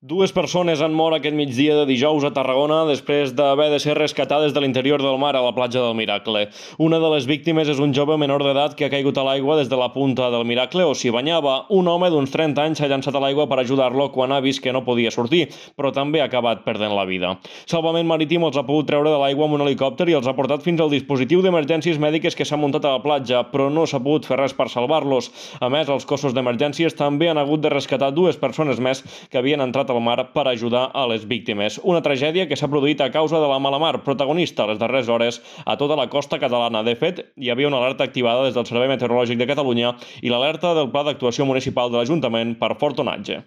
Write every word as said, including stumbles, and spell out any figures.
Dues persones han mort aquest migdia de dijous a Tarragona després d'haver de ser rescatades de l'interior del mar a la platja del Miracle. Una de les víctimes és un jove menor d'edat que ha caigut a l'aigua des de la punta del Miracle o s'hi banyava. Un home d'uns trenta anys s'ha llançat a l'aigua per ajudar-lo quan ha vist que no podia sortir, però també ha acabat perdent la vida. Salvament Marítim els ha pogut treure de l'aigua amb un helicòpter i els ha portat fins al dispositiu d'emergències mèdiques que s'ha muntat a la platja, però no s'ha pogut fer res per salvar-los. A més, els cossos d'emergències també han hagut de rescatar dues persones més que havien entrat al mar per ajudar a les víctimes. Una tragèdia que s'ha produït a causa de la mala mar, protagonista a les darreres hores a tota la costa catalana. De fet, hi havia una alerta activada des del Servei Meteorològic de Catalunya i l'alerta del Pla d'Actuació Municipal de l'Ajuntament per fort onatge.